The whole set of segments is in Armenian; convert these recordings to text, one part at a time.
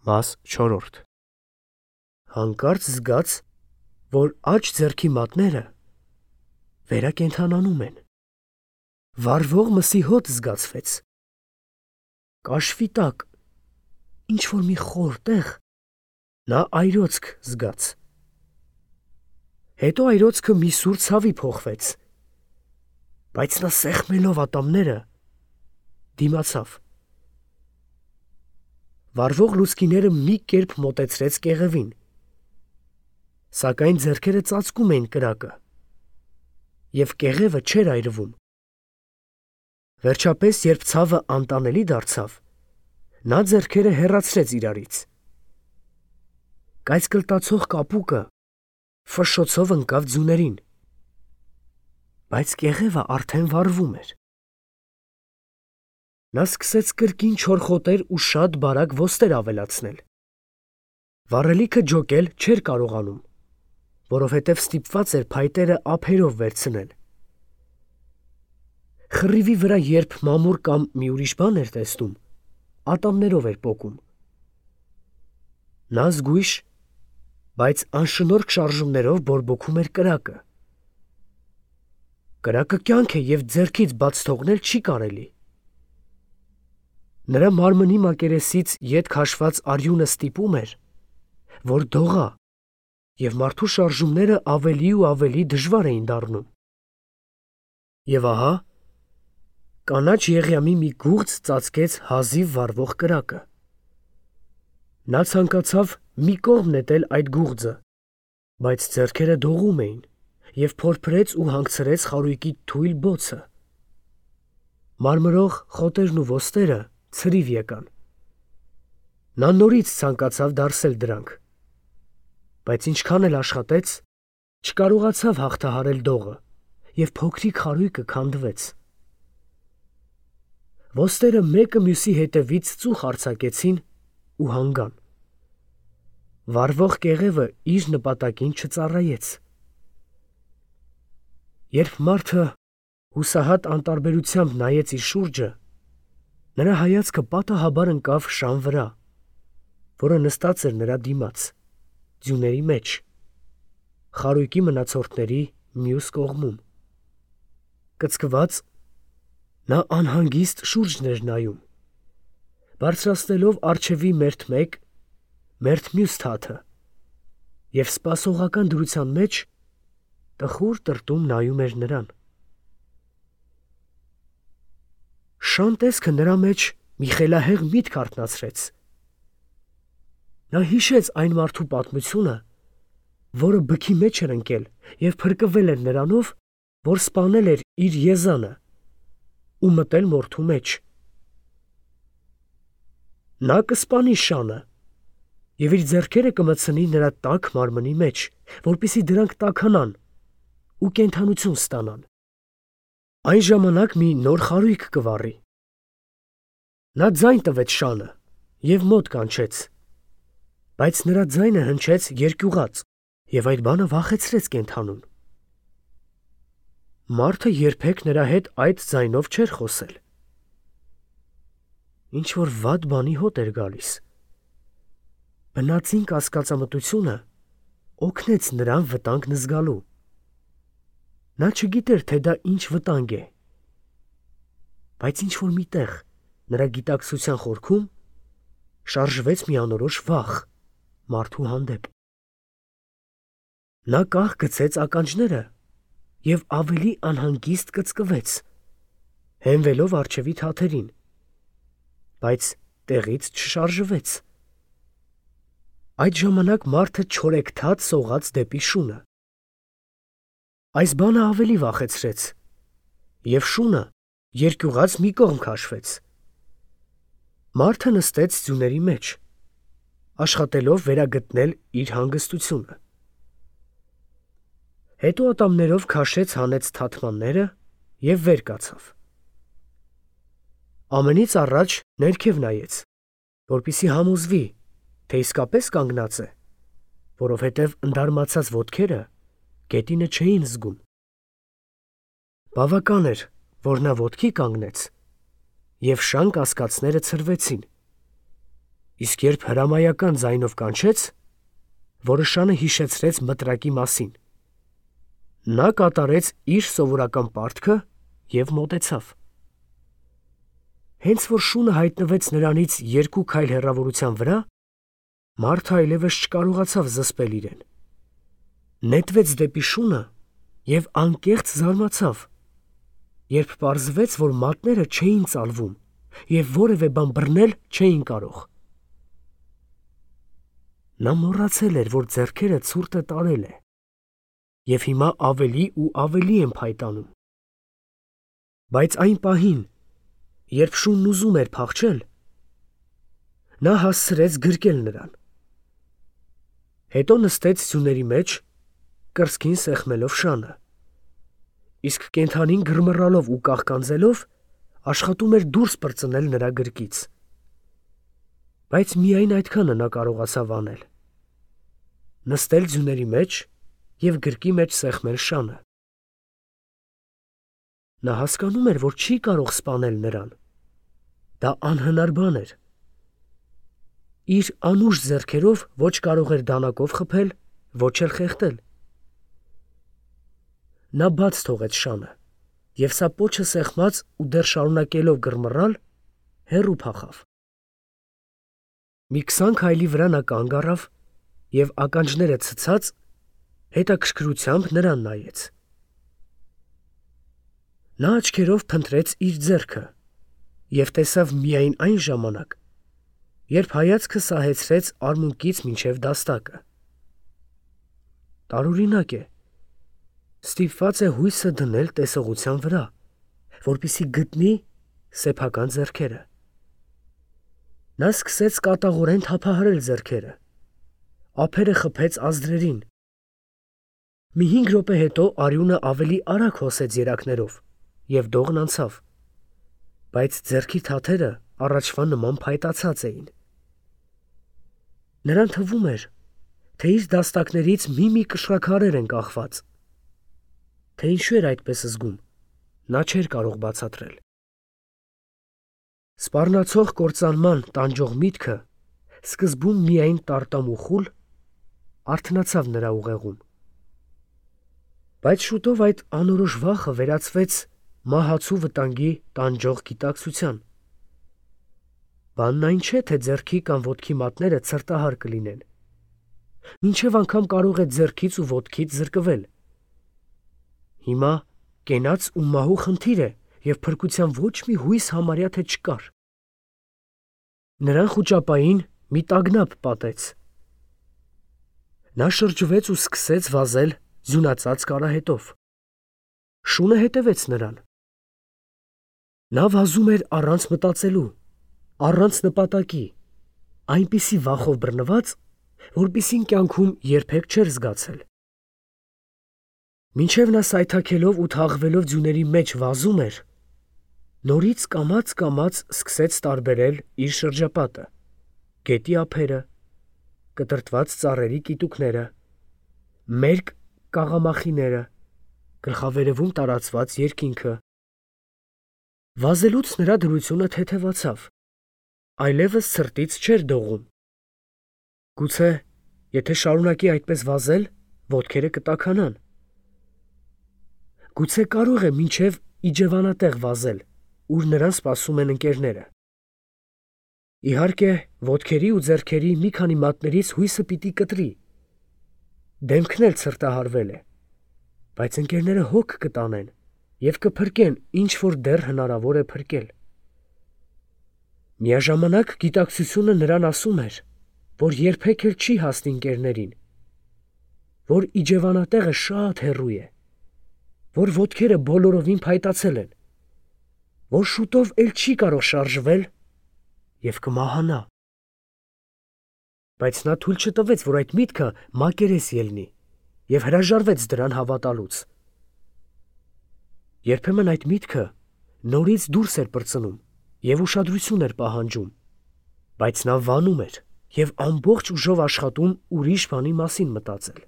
Մաս 4 Հանկարծ զգաց, որ աջ ձեռքի մատները վերակենդանանում են։ Վառվող մսի հոտ զգացվեց։ Կաշվի տակ, ինչ-որ մի խոր տեղ, նա այրոցք զգաց։ Հետո այրոցքը մի սուր ցավի փոխվեց, բայց նա սեղմելով ատամները դիմացավ։ Վառվող լուցկիները մի կերպ մոտեցրեց կեղևին, սակայն ձեռքերը ծածկում էին կրակը, և կեղևը չէր այրվում։ Վերջապես, երբ ցավը անտանելի դարձավ, նա ձեռքերը հեռացրեց իրարից։ Կայծկլտացող կապուկը ֆշշոցով ընկավ ձյուներին, բայց կեղևը արդեն վառվում էր։ Նա սկսեց կրկին չորխոտել ու շատ բարակ ոստեր ավելացնել։ Վառելիքը ջոկել չէր կարողանում, որովհետև ստիպված էր փայտերը ափերով վերցնել։ Խռիվի վրա երբ մամուռ կամ մի ուրիշ բան էր տեսնում, ատամներով էր պոկում։ Նա զգույշ, բայց անշնորհք շարժումներով բորբոքում էր կրակը։ Կրակը կյանք է և ձեռքից բաց թողնել չի կարելի։ Նրա մարմնի մակերեսից ետ քաշված արյունը ստիպում էր, որ դողա, և մարդու շարժումները ավելի ու ավելի դժվար էին դառնում։ Եվ ահա, կանաչ եղյամի մի գուղձ ծածկեց հազիվ վառվող կրակը։ Նա ցանկացավ մի կողմ նետել այդ գուղձը, բայց ձեռքերը դողում էին, և փորփրեց ու հանգցրեց խարույկի թույլ բոցը։ Մարմրող խոտերն ու ոստերը ցրիվ եկան։ Նա նորից ցանկացավ դարսել դրանք, բայց ինչքան էլ աշխատեց, չկարողացավ հաղթահարել դողը, և փոքրիկ խարույկը քանդվեց։ Ոստերը մեկը մյուսի հետևից ծուխ արձակեցին ու հանգան։ Վառվող կեղևը իր նպատակին չծառայեց։ Երբ մարդը հուսահատ անտարբերությամբ նայեց իր շուրջը, նրա հայացքը պատահաբար ընկավ շան վրա, որը նստած էր նրա դիմաց, ձյուների մեջ, խարույկի մնացորդների մյուս կողմում։ Կծկված, նա անհանգիստ շուրջն էր նայում, բարձրացնելով առջևի մերթ մեկ, մերթ մյուս թաթը, և սպասողական դրության մեջ տխուր տրտում նայում էր նրան։ Շան տեսքը նրա մեջ մի խելահեղ միտք արթնացրեց։ Նա հիշեց այն մարդու պատմությունը, որը բքի մեջ էր ընկել և փրկվել էր նրանով, որ սպանել էր իր եզանը ու մտել մորթու մեջ։ Նա կսպանի շանը և իր ձեռքերը կմտցնի նրա տաք մարմնի մեջ, որպեսզի դրանք տաքանան ու կենդանություն ստանան։ Այն ժամանակ մի նոր խարույկ կվառի։ Նա ձայն տվեց շանը և մոտ կանչեց, բայց նրա ձայնը հնչեց երկյուղած, և այդ բանը վախեցրեց կենդանուն։ Մարդը երբեք նրա հետ այդ ձայնով չէր խոսել։ Ինչ-որ վատ բանի հոտ էր գալիս։ Բնածին կասկածամտությունը օգնեց նրան վտանգն զգալու։ Նա չգիտեր, թե դա ինչ վտանգ է, բայց ինչ-որ մի տեղ, նրա գիտակցության խորքում, շարժվեց մի անորոշ վախ մարդու հանդեպ։ Նա կախ գցեց ականջները և ավելի անհանգիստ կծկվեց, հենվելով առջևի թաթերին, բայց տեղից չշարժվեց։ Այդ ժամանակ մարդը չորեքթաթ սողաց դեպի շունը։ Այս բանը ավելի վախեցրեց, և շունը երկյուղած մի կողմ քաշվեց։ Մարդը նստեց ձյուների մեջ, աշխատելով վերագտնել իր հանգստությունը։ Հետո ատամներով քաշեց հանեց թաթմանները և վեր կացավ։ Ամենից առաջ ներքև նայեց, որպեսզի համոզվի, թե իսկապես կանգնած է, որովհետև ընդարմացած ոտքերը գետինը չէին զգում։ Բավական էր, որ նա ոտքի կանգնեց, և շան կասկածները ցրվեցին։ Իսկ երբ հրամայական ձայնով կանչեց, որը շանը հիշեցրեց մտրակի մասին, նա կատարեց իր սովորական պարտքը և մոտեցավ։ Հենց որ շունը հայտնվեց նրանից 2 քայլ հեռավորության վրա, մարդը այլևս չկարողացավ զսպել իրեն։ Նետվեց դեպի շունը և անկեղծ զարմացավ, երբ պարզվեց, որ մատները չէին ծալվում և որևէ բան բռնել չէին կարող։ Նա մոռացել էր, որ ձեռքերը ցուրտը տարել է, և հիմա ավելի ու ավելի են փայտանում։ Բայց այն պահին, երբ շունն ուզում էր փախչել, նա հասցրեց գրկել նրան։ Հետո նստեց ձյուների մեջ, կրծքին սեղմելով շանը, իսկ կենդանին գրմռալով ու կաղկանձելով աշխատում էր դուրս պրծնել նրա գրկից։ Բայց միայն այդքանը նա կարողացավ անել. նստել ձյուների մեջ և գրկի մեջ սեղմել շանը։ Նա հասկանում էր, որ չի կարող սպանել նրան։ Դա անհնար բան էր։ Իր անուշ ձեռքերով ոչ կարող էր դանակով խփել, ոչ էլ խեղդել։ Նա բաց թողեց շանը և սա պոչը սեղմած ու դեռ շարունակելով գրմռալ, հեռու փախավ։ Մի 20 քայլի վրա նա կանգ առավ և ականջները ցցած հետաքրքրությամբ նրան նայեց։ Նա աչքերով փնտրեց իր ձեռքը և տեսավ միայն այն ժամանակ, երբ հայացքը սահեցրեց արմունկից մինչև դաստակը։ Տարօրինակ է, ստիպված է հույսը դնել տեսողության վրա, որպեսզի գտնի սեփական ձեռքերը։ Նա սկսեց կատաղորեն թափահարել ձեռքերը, ափերը խփեց ազդրերին։ Մի 5 րոպե հետո արյունը ավելի արագ հոսեց երակներով և դողն անցավ, բայց ձեռքի թաթերը առաջվա նման փայտացած էին։ Նրան թվում էր, թե իր դաստակներից մի կշռաքարեր են կախված։ Թե ինչու էր այդպես զգում, նա չէր կարող բացատրել։ Սպառնացող կործանման տանջող միտքը, սկզբում միայն տարտամ ու խուլ, արթնացավ նրա ուղեղում։ Բայց շուտով այդ անորոշ վախը վերածվեց մահացու վտանգի տանջող գիտակցության։ Բանն այն չէ, թե ձեռքի կամ ոտքի մատները ցրտահար կլինեն։ Մինչև անգամ կարող է ձեռքից ու ոտքից զրկվել։ Հիմա կենաց ու մահու խնդիր է, և փրկության ոչ մի հույս համարյա թե չկար։ Նրան խուճապային մի տագնապ պատեց։ Նա շրջվեց ու սկսեց վազել ձյունածածկ արահետով։ Շունը հետևեց նրան։ Նա վազում էր առանց մտածելու, առանց նպատակի, այնպիսի վախով բռնված, որպիսին կյանքում երբեք չէր զգացել։ Մինչև նա սայթաքելով ու թաղվելով ձյուների մեջ վազում էր, նորից կամաց սկսեց տարբերել իր շրջապատը՝ գետի ափերը, կտրտված ծառերի կիտուկները, մերկ կաղամախիները, գլխավերևում տարածված երկինքը։ Վազելուց նրա դրությունը թեթևացավ, այլևս ցրտից չէր դողում։ Գուցե, եթե շարունակի այդպես վազել, ոտքերը կտաքանան։ Գուցե կարող է մինչև իջևանատեղ վազել, ուր նրան սպասում են ընկերները։ Իհարկե, ոտքերի ու ձեռքերի մի քանի մատներից հույսը պիտի կտրի։ Դեմքն էլ ցրտահարվել է, բայց ընկերները հոգ կտանեն և կփրկեն, ինչ որ դեռ հնարավոր է փրկել։ Միաժամանակ գիտակցությունը նրան ասում էր, որ երբեք էլ չի հասնի ընկերներին, որ իջևանատեղը շատ հեռու է, որ ոտքերը բոլորովին փայտացել են, որ շուտով էլ չի կարող շարժվել և կմահանա։ Բայց նա թույլ չտվեց, որ այդ միտքը մակերես ելնի և հրաժարվեց դրան հավատալուց։ Երբեմն այդ միտքը նորից դուրս էր պրծնում և ուշադրություն էր պահանջում, բայց նա վանում էր և ամբողջ ուժով աշխատում ուրիշ բանի մասին մտածել։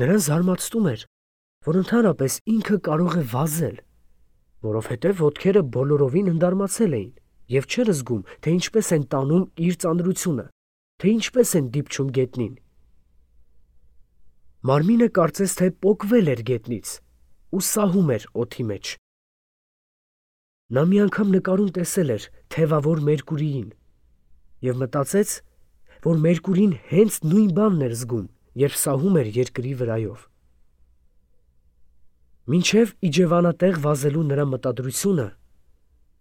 Նրան զարմացնում էր, որ ընդհանրապես ինքը կարող է վազել, որովհետև ոտքերը բոլորովին ընդարմացել էին և չէր զգում, թե ինչպես են տանում իր ծանրությունը, թե ինչպես են դիպչում գետնին։ Մարմինը կարծես թե պոկվել էր գետնից ու սահում էր օդի մեջ։ Նա մի անգամ նկարում տեսել էր թևավոր Մերկուրիին և մտածեց, որ Մերկուրին հենց նույն բանն էր զգում, երբ սահում էր երկրի վրայով։ Մինչև իջևանատեղ վազելու նրա մտադրությունը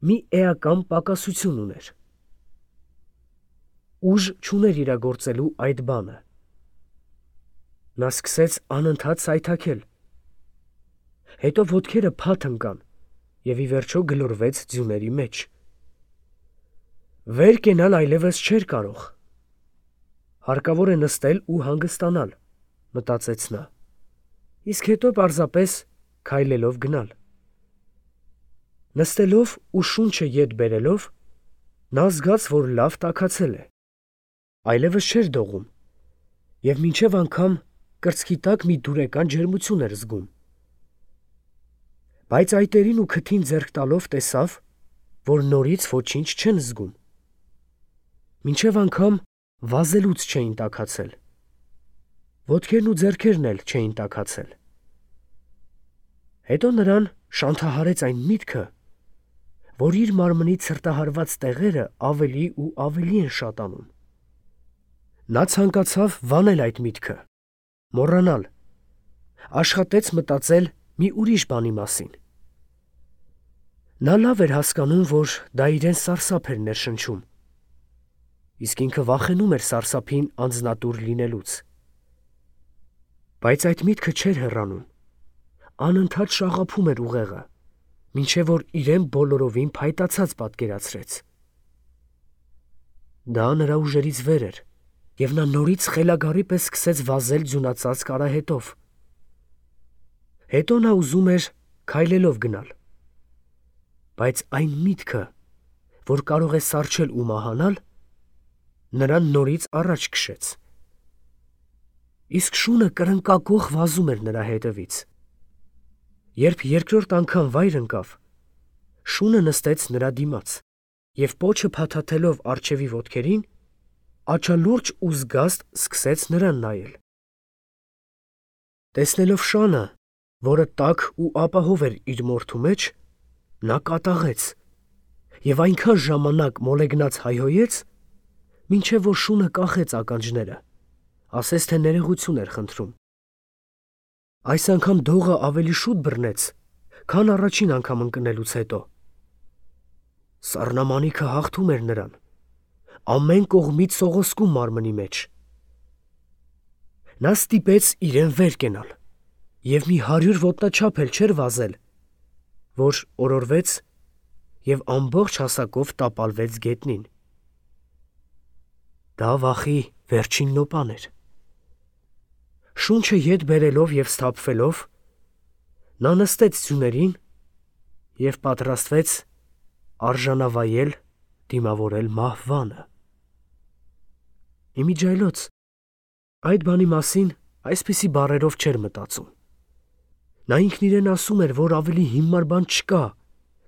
մի էական պակասություն ուներ։ Ուժ չուներ իրագործելու այդ բանը։ Նա սկսեց անընդհատ սայթաքել։ Հետո ոտքերը փաթ ընկան և ի վերջո գլորվեց ձյուների մեջ։ Վեր կենալ այլևս չէր կարող։ Հարկավոր է նստել ու հանգստանալ, մտածեց նա, իսկ հետո պարզապես քայլելով գնալ։ Նստելով ու շունչը ետ բերելով, նա զգաց, որ լավ տաքացել է, այլևս չէր դողում և մինչև անգամ կրծքի տակ մի դուրեկան ջերմություն էր զգում։ Բայց այտերին ու քթին ձեռք տալով տեսավ, որ նորից ոչինչ չեն զգում։ Մինչև անգամ վազելուց չէին տաքացել։ Ոտքերն ու ձեռքերն էլ չէին տաքացել։ Հետո նրան շանթահարեց այն միտքը, որ իր մարմնի ցրտահարված տեղերը ավելի ու ավելի են շատանում։ Նա ցանկացավ վանել այդ միտքը, մոռանալ, աշխատեց մտածել մի ուրիշ բանի մասին։ Նա լավ էր հասկանում, որ դա իրեն սարսափ էր ներշնչում, իսկ ինքը վախենում էր սարսափին անձնատուր լինելուց։ Բայց այդ միտքը չէր հեռանում, անընդհատ շաղափում էր ուղեղը, մինչև որ իրեն բոլորովին փայտացած պատկերացրեց։ Դա նրա ուժերից վեր էր, և նա նորից խելագարի պես սկսեց վազել ձյունածածկ արահետով։ Հետո նա ուզում էր քայլելով գնալ։ Բայց այն միտքը, որ կարող է սառչել ու մահանալ, նրան նորից առաջ քշեց։ Իսկ շունը կրնկակոխ վազում էր նրա հետևից։ Երբ երկրորդ անգամ վայր ընկավ, շունը նստեց նրա դիմաց և պոչը փաթաթելով առջևի ոտքերին, աչալուրջ ու զգաստ սկսեց նրան նայել։ Տեսնելով շանը, որը տաք ու ապահով էր իր մորթու մեջ, նա կատաղեց և այնքան ժամանակ մոլեգնած հայհոյեց, մինչև որ շունը կախեց ականջները, ասես թե ներողություն էր խնդրում։ Այս անգամ դողը ավելի շուտ բռնեց, քան առաջին անգամ ընկնելուց հետո։ Սառնամանիքը հաղթում էր նրան, ամեն կողմից սողոսկում մարմնի մեջ։ Նա ստիպեց իրեն վեր կենալ և մի 100 ոտնաչափ էլ չէր վազել, որ օրորվեց և ամբողջ հասակով տապալվեց գետնին։ Դա վախի վերջին նոպան էր։ Շունչը ետ բերելով և սթափվելով, նա նստեց ձյուներին և պատրաստվեց արժանավայել դիմավորել մահվանը։ Իմիջիայլոց այդ բանի մասին այսպիսի բառերով չէր մտածում։ Նա ինքն իրեն ասում էր, որ ավելի հիմար բան չկա,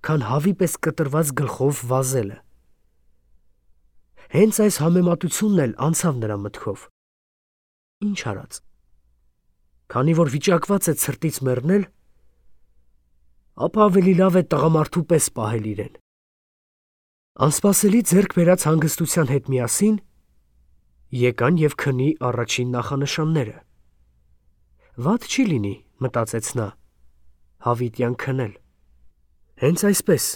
քան հավի պես կտրված գլխով վազելը։ Հենց այս համեմատությունն էլ անցավ նրա մտքով։ Ինչ արած։ Քանի որ վիճակված է ցրտից մեռնել, ապա ավելի լավ է տղամարդու պես պահել իրեն։ Անսպասելի ձեռք բերած հանգստության հետ միասին եկան և քնի առաջին նախանշանները։ Վատ չի լինի, մտածեց նա, հավիտյան քնել։ Հենց այսպես,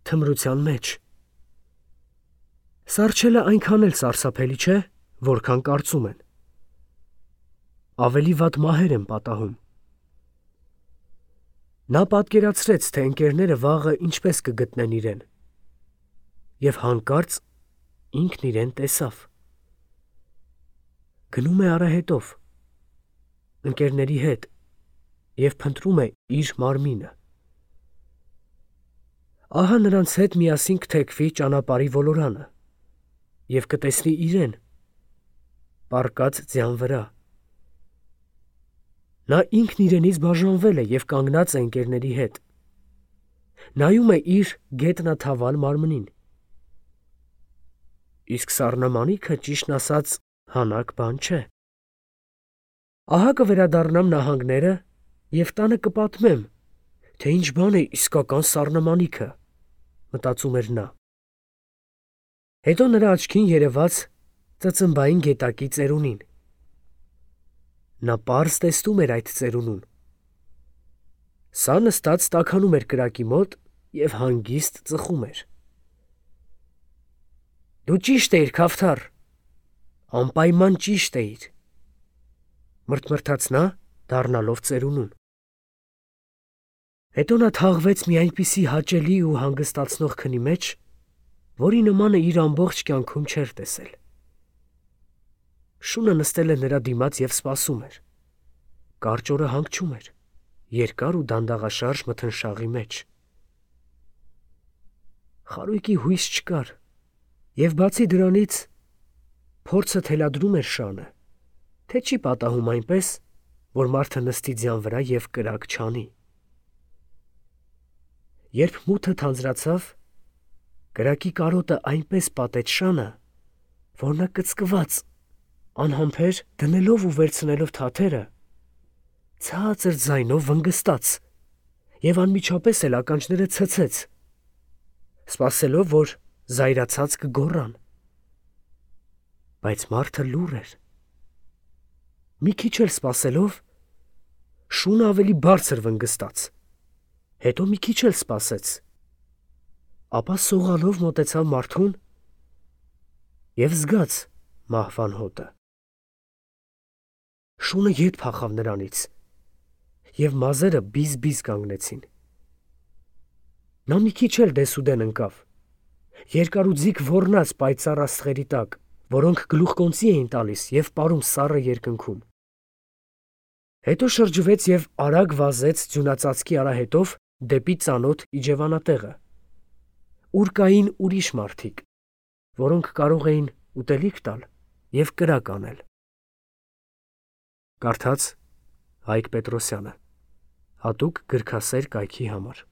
թմրության մեջ։ Սառչելը այնքան էլ սարսափելի չէ, որքան կարծում են։ Ավելի վատ մահեր են պատահում։ Նա պատկերացրեց, թե ընկերները վաղը ինչպես կգտնեն իրեն, և հանկարծ ինքն իրեն տեսավ։ Գնում է արահետով, ընկերների հետ և փնտրում է իր մարմինը։ Ահա նրանց հետ միասին կթեքվի ճանապարհի ոլորանը և կտեսնի իրեն, պառկած ձյան վրա։ Նա ինքն իրենից բաժանվել է և կանգնած է ընկերների հետ։ Նայում է իր գետնաթավալ մարմնին իսկ սառնամանիքը ճիշտն ասած հանակ բան չէ։ Ահա կվերադառնամ նահանգները և տանը կպատմեմ, թե ինչ բան է իսկական սառնամանիքը, մտածում էր նա։ Հետո նրա աչքին երևաց ծծմբային գետակի ծերունին։ Նա պարզ տեսնում էր այդ ծերունուն։ Սա նստած տաքանում էր կրակի մոտ և հանգիստ ծխում էր։ Դու ճիշտ էիր, Քավթար, անպայման ճիշտ էիր, մրթմրթաց նա, դառնալով ծերունուն։ Հետո նա թաղվեց մի այնպիսի հաճելի ու հանգստացնող քնի մեջ, որի նմանը իր ամբողջ կյանքում չէր տեսել։ Շունը նստել էր նրա դիմաց և սպասում էր։ Կարճ օրը հանգչում էր, երկար ու դանդաղաշարժ մթնշաղի մեջ։ Խարույկի հույս չկար, և բացի դրանից փորձը թելադրում էր շանը, թե չի պատահում այնպես, որ մարդը նստի ձյան վրա և կրակ չանի։ Երբ մութը թանձրացավ, կրակի կարոտը այնպես պատեց շանը, որ նա կծկված, անհամբեր դնելով ու վերցնելով թաթերը, ցածր ձայնով վնգստաց և անմիջապես էլ ականջները ցցեց, սպասելով, որ զայրացած կգոռան։ Բայց մարդը լուռ էր։ Մի քիչ էլ սպասելով, շունը ավելի բարձր վնգստաց, հետո մի քիչ էլ սպասեց, ապա սողալով մոտեցավ մարդուն և զգաց մահվան հոտը։ Շունը ետ փախավ նրանից, և մազերը բիզ-բիզ կանգնեցին։ Նա մի քիչ էլ դեսուդեն ընկավ, երկարուձիգ ոռնաց պայծառ աստղերի տակ, որոնք գլուխկոնծի էին տալիս և պարում սառը երկնքում։ Հետո շրջվեց և արագ վազեց ձյունածածկի արահետով դեպի ծանոթ իջևանատեղը, ուր կային ուրիշ մարդիկ, որոնք կարող էին ուտելիք տալ և կրակ անել։ Կարդաց Հայկ Պետրոսյանը, հատուկ գրքասեր կայքի համար։